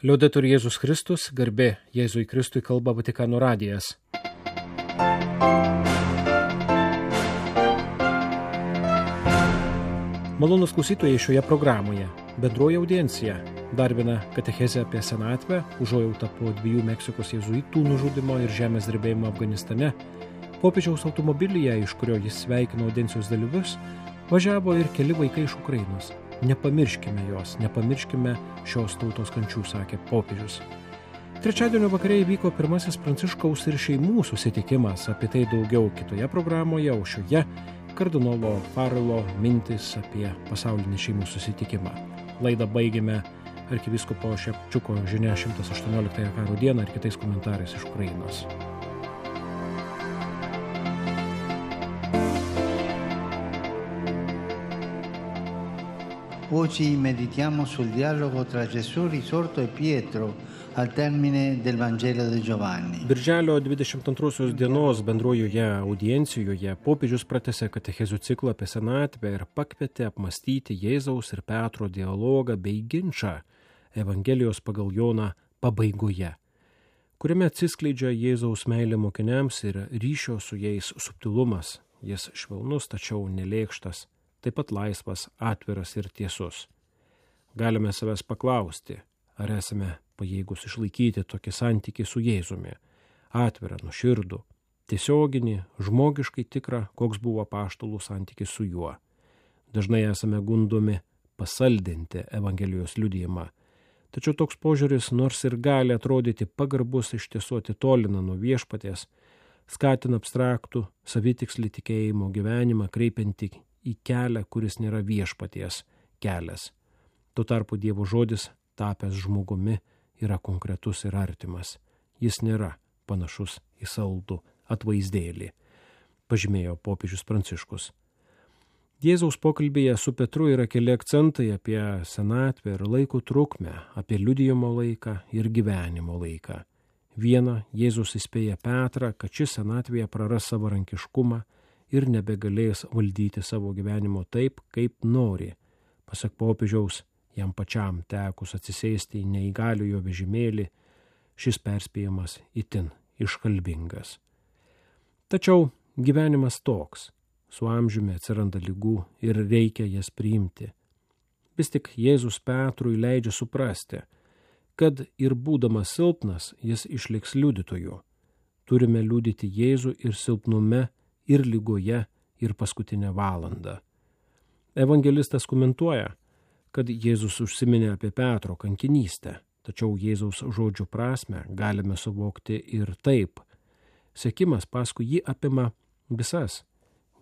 Liudetur Jėzus Kristus, garbė Jėzui Kristui, kalba Vatikano radijas. Malonūs klausytojai, šioje programoje bendroji audiencija, dar viena katechezė apie senatvę, užuojautą po 2 Meksikos jėzuitų nužudymo ir žemės drebėjimo Afganistane, popiežiaus automobilyje, iš kurio jis sveikino audiencijos dalyvius, važiavo ir keli vaikai iš Ukrainos. Nepamirškime jos, nepamirškime šios tautos kančių, sakė popiežius. Trečiadienio vakare įvyko pirmasis Pranciškaus ir šeimų susitikimas, apie tai daugiau kitoje programoje, o šioje kardinolo Farelo mintis apie pasaulinį šeimų susitikimą. Laidą baigėme arkivyskupo Šepčiuko žinia 118 karo dieną ir kitais komentarais iš Ukrainos. Oggi meditiamo sul dialogo tra Gesù risorto e Pietro al termine del Vangelo di Giovanni. Birželio 22 dienos bendrojoje audiencijoje popiežius pratęsė katechezių ciklą apie senatvę ir pakvietė apmąstyti Jėzaus ir Petro dialogą bei ginčą Evangelijos pagal Joną pabaigoje, kuriame atsiskleidžia Jėzaus meilė mokiniams ir ryšio su jais subtilumas. Jis švelnus, tačiau nelėkštas, taip pat laisvas, atviras ir tiesus. Galime savęs paklausti, ar esame pajėgus išlaikyti tokį santykį su Jėzumi, atvirą, nuoširdų, tiesioginį, žmogiškai tikrą, koks buvo apaštalų santykis su juo. Dažnai esame gundomi pasaldinti Evangelijos liudijimą, tačiau toks požiūris, nors ir gali atrodyti pagarbus, iš tiesų atitolina nuo viešpaties, skatina abstraktų, savitikslį tikėjimo gyvenimą, kreipiantį į kelią, kuris nėra viešpaties kelias. Tuo tarpu Dievo žodis, tapęs žmogumi, yra konkretus ir artimas. Jis nėra panašus į saldų atvaizdėlį, pažymėjo popiežius Pranciškus. Jėzaus pokalbėje su Petru yra keli akcentai apie senatvę ir laiko trukmę, apie liudijimo laiką ir gyvenimo laiką. Viena, Jėzus įspėja Petrą, kad šis senatvėje praras savarankiškumą ir nebegalės valdyti savo gyvenimo taip, kaip nori. Pasak popiežiaus, jam pačiam tekus atsisėsti į neįgaliojo vežimėlį, šis perspėjimas itin iškalbingas. Tačiau gyvenimas toks, su amžiumi atsiranda ligų ir reikia jas priimti. Vis tik Jėzus Petrui leidžia suprasti, kad ir būdamas silpnas, jis išliks liudytoju. Turime liudyti Jėzų ir silpnume, ir lygoje, ir paskutinę valandą. Evangelistas komentuoja, kad Jėzus užsiminė apie Petro kankinystę, tačiau Jėzaus žodžių prasmę galime suvokti ir taip. Sekimas paskui jį apima visas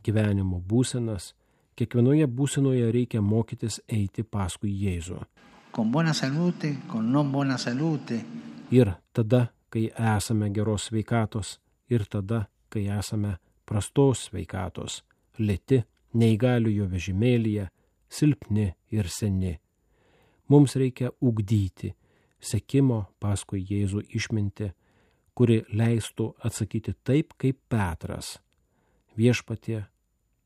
gyvenimo būsenas, kiekvienoje būsenoje reikia mokytis eiti paskui Jėzų. Con buona salute, con non buona salute. Ir tada, kai esame geros sveikatos, ir tada, kai esame prastos sveikatos, lėti, neįgaliojo vežimėlyje, silpni ir seni. Mums reikia ugdyti sekimo paskui Jėzų išmintį, kuri leistų atsakyti taip, kaip Petras. Viešpatie,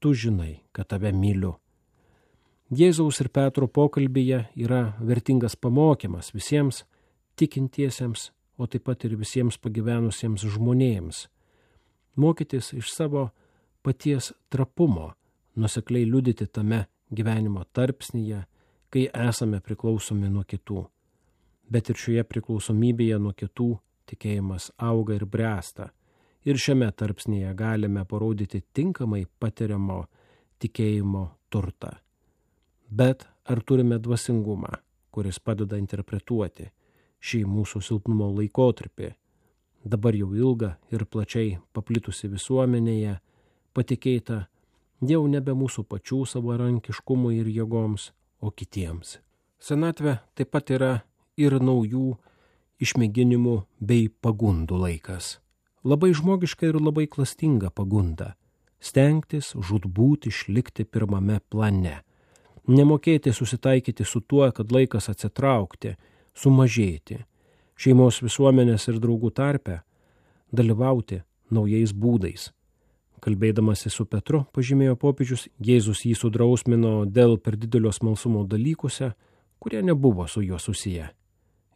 tu žinai, kad tave myliu. Jėzaus ir Petro pokalbyje yra vertingas pamokymas visiems tikintiesiems, o taip pat ir visiems pagyvenusiems žmonėms. Mokytis iš savo paties trapumo, nuosekliai liudyti tame gyvenimo tarpsnyje, kai esame priklausomi nuo kitų. Bet ir šioje priklausomybėje nuo kitų tikėjimas auga ir bręsta. Ir šiame tarpsnyje galime parodyti tinkamai patiriamo tikėjimo turtą. Bet ar turime dvasingumą, kuris padeda interpretuoti šį mūsų silpnumo laikotarpį, dabar jau ilgą ir plačiai paplitusi visuomenėje, patikėta jau nebe mūsų pačių savarankiškumui ir jėgoms, o kitiems. Senatvė taip pat yra ir naujų išmėginimų bei pagundų laikas. Labai žmogiška ir labai klastinga pagunda – stengtis žūtbūt išlikti pirmame plane, nemokėti susitaikyti su tuo, kad laikas atsitraukti, sumažėti, šeimos visuomenės ir draugų tarpe, dalyvauti naujais būdais. Kalbėdamasi su Petru, pažymėjo popiežius, Jėzus jį sudrausmino dėl per didelio smalsumo dalykuose, kurie nebuvo su juo susiję.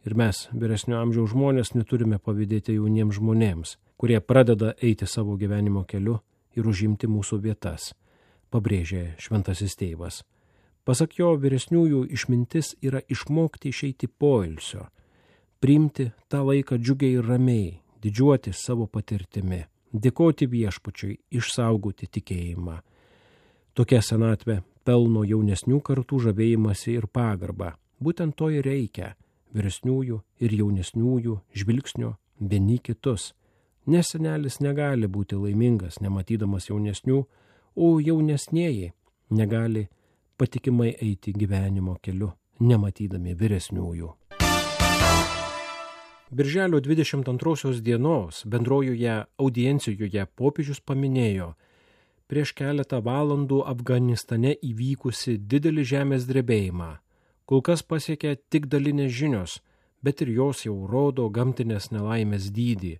Ir mes, vyresnio amžiaus žmonės, neturime pavydėti jauniems žmonėms, kurie pradeda eiti savo gyvenimo keliu ir užimti mūsų vietas, pabrėžė šventasis tėvas. Pasak jo, vyresniųjų išmintis yra išmokti išeiti poilsio, priimti tą laiką džiugiai ir ramiai, didžiuoti savo patirtimi, dėkoti viešpačiui, išsaugoti tikėjimą. Tokia senatvė pelno jaunesnių kartų žavėjimąsi ir pagarbą. Būtent to ir reikia – vyresniųjų ir jaunesniųjų žvilgsnio vieni kitus. Nes senelis negali būti laimingas, nematydamas jaunesnių, o jaunesnieji negali patikimai eiti gyvenimo keliu, nematydami vyresniųjų. Birželio 22 dienos bendrojoje audiencijoje popiežius paminėjo prieš keletą valandų Afganistane įvykusi didelį žemės drebėjimą. Kol kas pasiekė tik dalinės žinios, bet ir jos jau rodo gamtinės nelaimės dydį.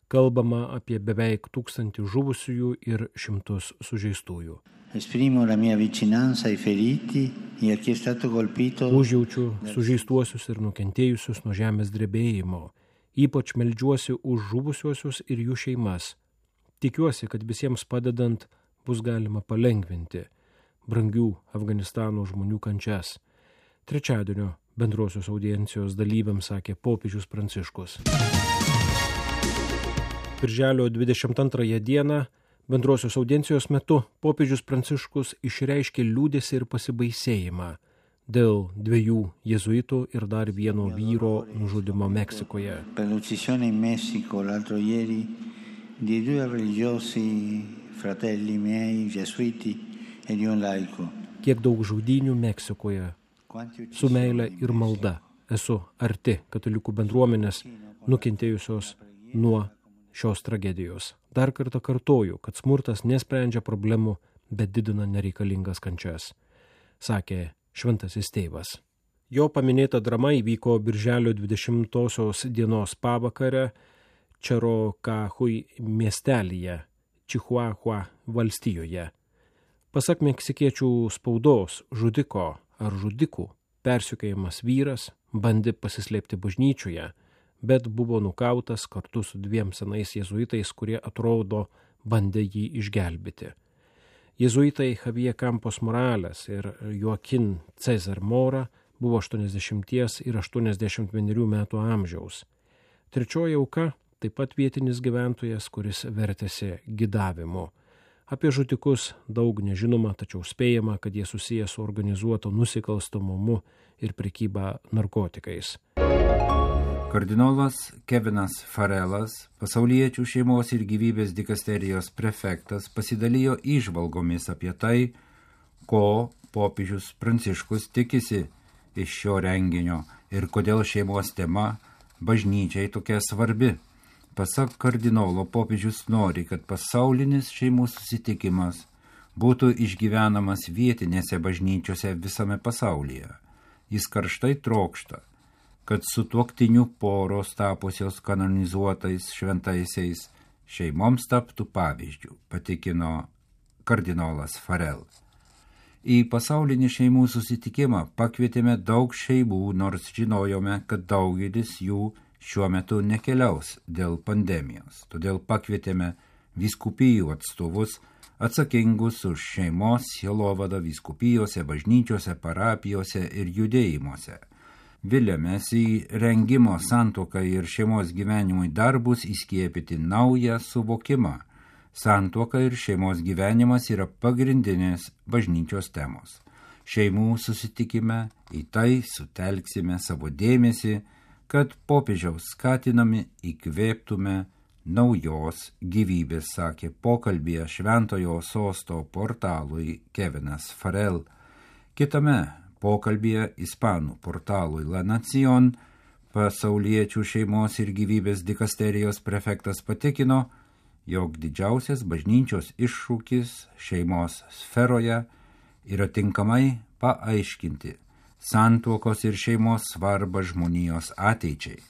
Kalbama apie beveik 1000 žuvusiųjų ir 100 sužeistųjų. Esprimo la mia vicinanza ai feriti e a chi è stato colpito. Užjaučiu sužeistuosius ir nukentėjusius nuo žemės drebėjimo. Ypač meldžiuosi už žuvusiuosius ir jų šeimas. Tikiuosi, kad visiems padedant bus galima palengvinti brangių Afganistano žmonių kančias. Trečiadienio bendrosios audiencijos dalyviams sakė popiežius Pranciškus. Birželio 22 dieną bendrosios audiencijos metu popiežius Pranciškus išreiškė liūdesį ir pasibaisėjimą dėl 2 jėzuitų ir dar vieno vyro nužudymo Meksikoje. Per l'uccisione in Messico l'altro ieri di 2 religiosi fratelli miei gesuiti e di un laico. Kiek daug žudynių Meksikoje. Su meile ir malda esu arti katalikų bendruomenės nukentėjusios nuo šios tragedijos. Dar kartą kartoju, kad smurtas nesprendžia problemų, bet didina nereikalingas kančias, sakė šventasis tėvas. Jo paminėta drama įvyko birželio 20 dienos pavakarę Čerokahui miestelyje, Čihuahua valstijoje. Pasak meksikiečių spaudos, žudiko ar žudikų persekiojamas vyras bandė pasislėpti bažnyčioje, bet buvo nukautas kartu su 2 senais jėzuitais, kurie atrodo bandė jį išgelbėti. Jėzuitai Javier Campos Morales ir Joaquin Cesar Mora buvo 80 ir 81 metų amžiaus. Trečioji auka taip pat vietinis gyventojas, kuris vertėsi gidavimu. Apie žudikus daug nežinoma, tačiau spėjama, kad jie susiję su organizuotu nusikalstamumu ir prekyba narkotikais. Kardinolas Kevinas Farelas, pasauliečių šeimos ir gyvybės dikasterijos prefektas, pasidalijo įžvalgomis apie tai, ko popiežius Pranciškus tikisi iš šio renginio ir kodėl šeimos tema bažnyčiai tokia svarbi. Pasak kardinolo, popiežius nori, kad pasaulinis šeimų susitikimas būtų išgyvenamas vietinėse bažnyčiose visame pasaulyje. Jis karštai trokšta, kad sutuoktinių poros tapusios kanonizuotais šventaisiais šeimoms taptų pavyzdžių, patikino kardinolas Farel. Į pasaulinį šeimų susitikimą pakvietėme daug šeimų, nors žinojome, kad daugelis jų šiuo metu nekeliaus dėl pandemijos. Todėl pakvietėme vyskupijų atstovus atsakingus už šeimos sielovadą vyskupijose, bažnyčiose, parapijose ir judėjimuose. Viliamės į rengimo santuokai ir šeimos gyvenimui darbus įskiepyti naują suvokimą. Santuoka ir šeimos gyvenimas yra pagrindinės bažnyčios temos. Šeimų susitikime į tai sutelksime savo dėmesį, kad popiežiaus skatinami įkvėptume naujos gyvybės, sakė pokalbėje Šventojo Sosto portalui Kevinas Farel. Kitame pokalbėje ispanų portalui La Nación pasauliečių šeimos ir gyvybės dikasterijos prefektas patikino, jog didžiausias bažnyčios iššūkis šeimos sferoje yra tinkamai paaiškinti santuokos ir šeimos svarbą žmonijos ateičiai.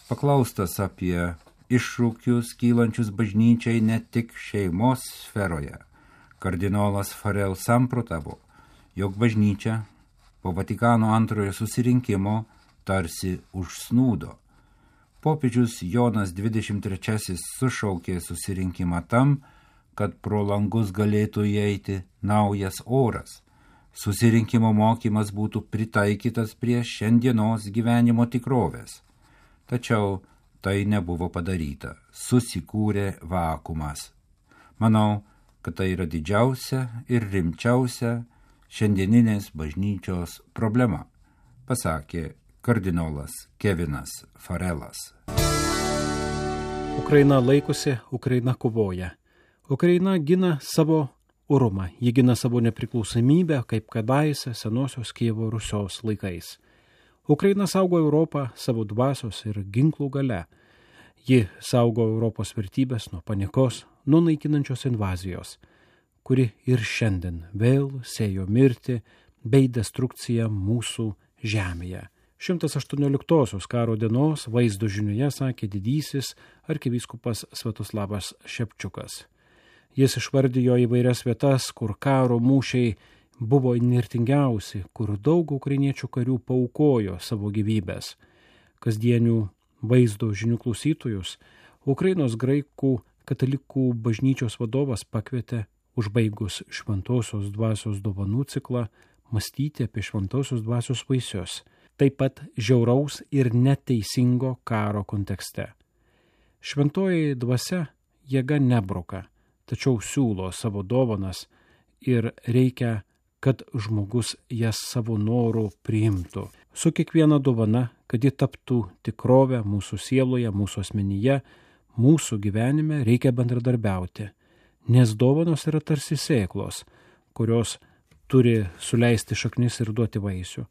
Paklaustas apie iššūkius kylančius bažnyčiai ne tik šeimos sferoje, kardinolas Farel samprotavo, jog bažnyčia po Vatikano antrojo susirinkimo tarsi užsnūdo. Popiežius Jonas 23 sušaukė susirinkimą tam, kad pro langus galėtų įeiti naujas oras. Susirinkimo mokymas būtų pritaikytas prie šiandienos gyvenimo tikrovės. Tačiau tai nebuvo padaryta. Susikūrė vakuumas. Manau, kad tai yra didžiausia ir rimčiausia šiandieninės bažnyčios problema, pasakė kardinolas Kevinas Farelas. Ukraina laikosi, Ukraina kovoja. Ukraina gina savo orumą, ji gina savo nepriklausomybę, kaip kadaise senosios Kijevo Rusios laikais. Ukraina saugo Europą savo dvasios ir ginklų gale. Ji saugo Europos vertybės nuo panikos, nuo naikinančios invazijos, kuri ir šiandien vėl sėjo mirtį bei destrukciją mūsų žemėje. 118 karo dienos vaizdo žinioje sakė didysis arkivyskupas Sviatoslavas Šepčiukas. Jis išvardijo įvairias vietas, kur karo mūšiai buvo įnirtingiausi, kur daug ukrainiečių karių paaukojo savo gyvybės. Kasdienių vaizdo žinių klausytojus Ukrainos graikų katalikų bažnyčios vadovas pakvietė, užbaigus šventosios dvasios dovanų ciklą, mąstyti apie šventosios dvasios vaisius, taip pat žiauraus ir neteisingo karo kontekste. Šventoji dvasia jėga nebroka, tačiau siūlo savo dovanas ir reikia, kad žmogus jas savo norų priimtų. Su kiekviena dovana, kad ji taptų tikrovę mūsų sieloje, mūsų asmenyje, mūsų gyvenime, reikia bendradarbiauti, nes dovanos yra tarsi sėklos, kurios turi suleisti šaknis ir duoti vaisių.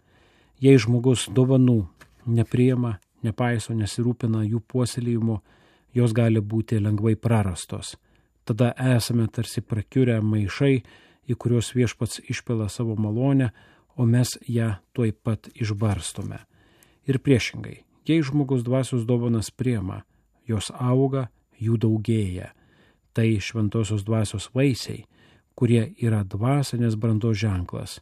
Jei žmogus dovanų nepriima, nepaiso, nesirūpina jų puoselėjimo, jos gali būti lengvai prarastos. Tada esame tarsi prakiurę maišai, į kuriuos viešpats išpila savo malonę, o mes ją tuoj pat išbarstome. Ir priešingai, jei žmogus dvasios dovanas priima, jos auga, jų daugėja. Tai šventosios dvasios vaisiai, kurie yra dvasinės brandos ženklas.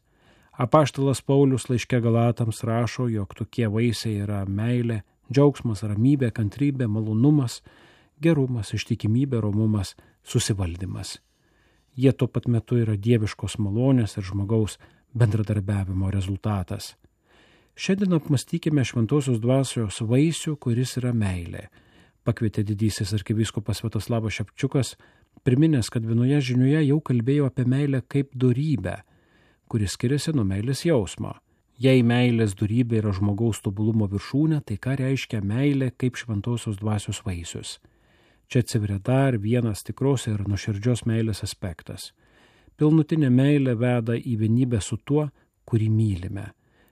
Apaštalas Paulius laiške Galatams rašo, jog tokie vaisiai yra meilė, džiaugsmas, ramybė, kantrybė, malonumas, gerumas, ištikimybė, romumas, susivaldymas. Jie tuo pat metu yra dieviškos malonės ir žmogaus bendradarbiavimo rezultatas. Šiandien apmastykime šventosios dvasios vaisių, kuris yra meilė. Pakvietė didysis arkivyskupas Sviatoslavas Šepčiukas, priminęs, kad vienoje žinioje jau kalbėjo apie meilę kaip dorybę, kuris skiriasi nuo meilės jausmo. Jei meilės dorybė yra žmogaus tobulumo viršūnė, tai ką reiškia meilė kaip šventosios dvasios vaisius? Čia atsiveria dar vienas tikros ir nuoširdžios meilės aspektas. Pilnutinė meilė veda į vienybę su tuo, kurį mylime.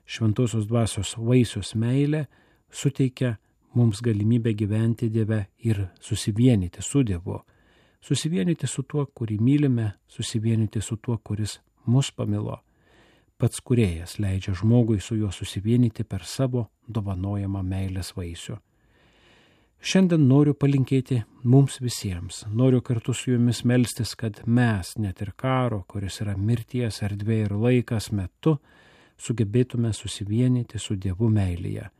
Šventosios dvasios vaisius meilė suteikia mums galimybę gyventi Dieve ir susivienyti su Dievu. Susivienyti su tuo, kurį mylime, susivienyti su tuo, kuris mus pamilo. Pats Kūrėjas leidžia žmogui su juo susivienyti per savo dovanojamą meilės vaisių. Šiandien noriu palinkėti mums visiems, noriu kartu su jumis melstis, kad mes, net ir karo, kuris yra mirties erdvė ir laikas metu, sugebėtume susivienyti su Dievu meilėje,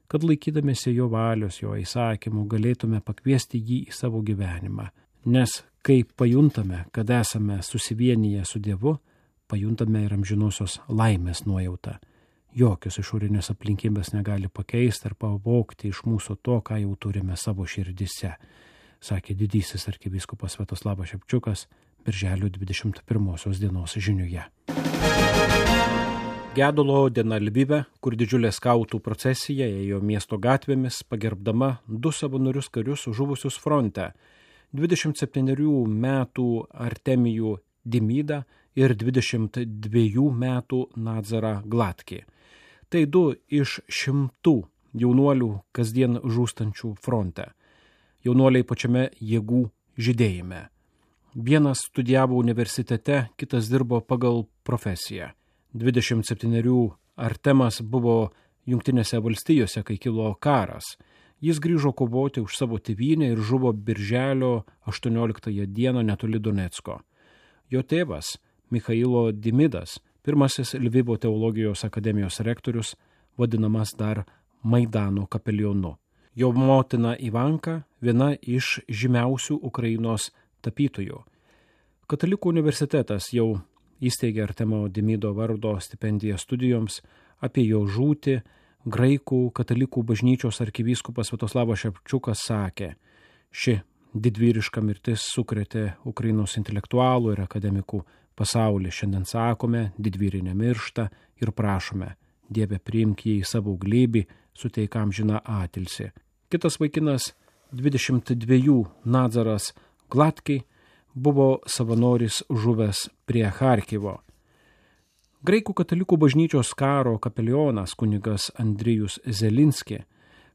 kad laikydamėsi jo valios, jo įsakymų, galėtume pakviesti jį į savo gyvenimą. Nes kai pajuntame, kad esame susivienyje su Dievu, pajuntame ir amžinosios laimės nuojautą. Jokios išorinės aplinkybės negali pakeisti ar pavogti iš mūsų to, ką jau turime savo širdise, sakė didysis arkivyskupas Sviatoslavas Šepčiukas birželio 21 dienos žinioje. Gedulo diena Lvive, kur didžiulė skautų procesija ėjo miesto gatvėmis, pagerbdama 2 savanorius karius žuvusius fronte, 27 metų Artemijų Dimidą ir 22 metų Nadzarą Glatkį. Tai 2 iš 100 jaunuolių kasdien žūstančių fronte. Jaunuoliai pačiame jėgų žydėjime. Vienas studijavo universitete, kitas dirbo pagal profesiją. 27 Artemas buvo Jungtinėse valstijose, kai kilo karas. Jis grįžo kovoti už savo tėvynę ir žuvo birželio 18 dieną netoli Donecko. Jo tėvas, Michailo Dimidas, pirmasis Lvivo teologijos akademijos rektorius, vadinamas dar Maidano kapelionu. Jo motina Ivanka viena iš žymiausių Ukrainos tapytojų. Katalikų universitetas jau įsteigė Artemo Demido vardo stipendiją studijoms. Apie jo žūtį graikų katalikų bažnyčios arkivyskupas Sviatoslavas Ševčiukas sakė: ši didvyriška mirtis sukrėtė Ukrainos intelektualų ir akademikų pasaulį. Šiandien sakome, didvyriai nemiršta ir prašome, Dieve priimk jį į savo glėbį, suteik amžiną atilsį. Kitas vaikinas, 22 Nadzaras Glatkiai, buvo savanoris žuvęs prie Charkivo. Graikų katalikų bažnyčios karo kapelionas kunigas Andrijus Zelinski,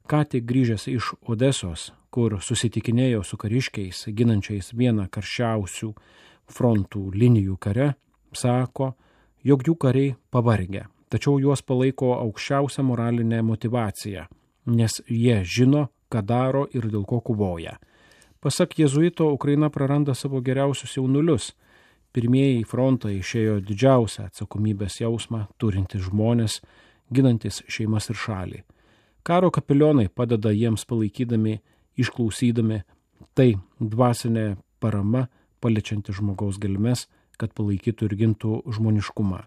ką tik grįžęs iš Odesos, kur susitikinėjo su kariškiais, ginančiais vieną karščiausių frontų linijų kare, sako, jog jų kariai pavargę, tačiau juos palaiko aukščiausia moralinė motyvacija, nes jie žino, ką daro ir dėl ko kovoja. Pasak jėzuito, Ukraina praranda savo geriausius jaunulius. Pirmieji į frontą išėjo didžiausią atsakomybės jausmą turintys žmonės, ginantis šeimas ir šalį. Karo kapelionai padeda jiems palaikydami, išklausydami, tai dvasinė parama paliečianti žmogaus gelmes, kad palaikytų ir gintų žmoniškumą.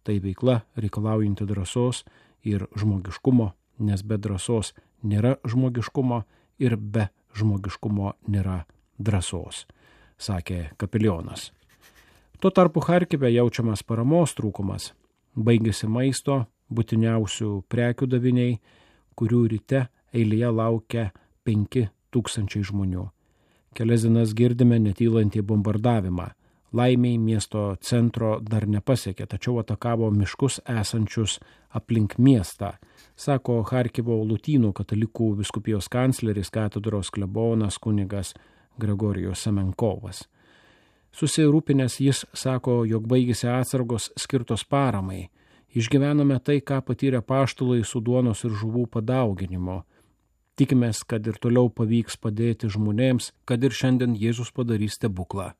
Tai veikla reikalaujanti drąsos ir žmogiškumo, nes be drąsos nėra žmogiškumo ir be žmogiškumo nėra drąsos, sakė kapelionas. Tuo tarpu Charkive jaučiamas paramos trūkumas. Baigėsi maisto, būtiniausių prekių daviniai, kurių ryte eilėje laukia 5000 žmonių. Kelias dienas girdime netylantį bombardavimą. Laimiai miesto centro dar nepasiekė, tačiau atakavo miškus esančius aplink miestą, sako Charkivo Lotynų katalikų vyskupijos kancleris katedros klebonas kunigas Gregorijus Semenkovas. Susirūpinęs jis sako, jog baigėsi atsargos skirtos paramai. Išgyvename tai, ką patyrė apaštalai su duonos ir žuvų padauginimo. Tikimės, kad ir toliau pavyks padėti žmonėms, kad ir šiandien Jėzus padarys stebuklą.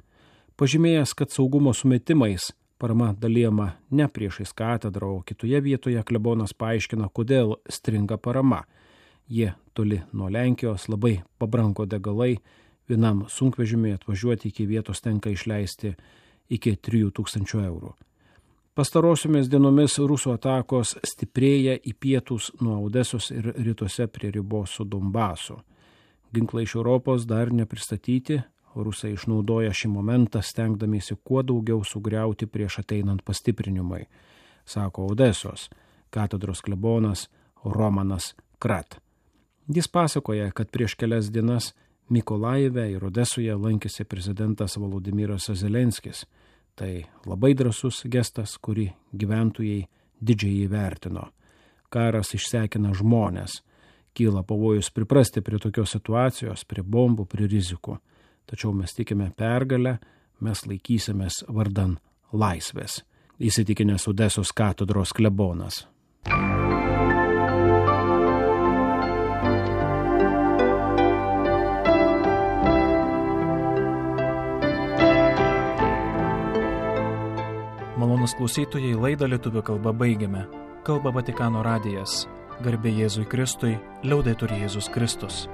Pažymėjęs, kad saugumo sumetimais parama dalijama ne priešais katedrą, o kitoje vietoje, klebonas paaiškina, kodėl stringa parama. Jie toli nuo Lenkijos, labai pabrango degalai, vienam sunkvežimiui atvažiuoti iki vietos tenka išleisti iki 3000 eurų. Pastarosiomis dienomis rusų atakos stiprėja į pietus nuo Odesos ir rytuose prie ribos su Donbasu. Ginklai iš Europos dar nepristatyti, rusai išnaudoja šį momentą, stengdamiesi kuo daugiau sugriauti prieš ateinant pastiprinimui, sako Odesos katedros klebonas Romanas Krat. Jis pasakoja, kad prieš kelias dienas Mykolaive ir Odesoje lankėsi prezidentas Volodymyras Zelenskis. Tai labai drąsus gestas, kurį gyventojai didžiai įvertino. Karas išsekina žmonės. Kyla pavojus priprasti prie tokios situacijos, prie bombų, prie rizikų. Tačiau mes tikime pergalę, mes laikysimės vardan laisvės, įsitikinęs Odesos katedros klebonas. Malonūs klausytojai, laidą lietuvių kalba baigiame. Kalba Vatikano radijas. Garbė Jėzui Kristui, liaudetur Jėzus Kristus.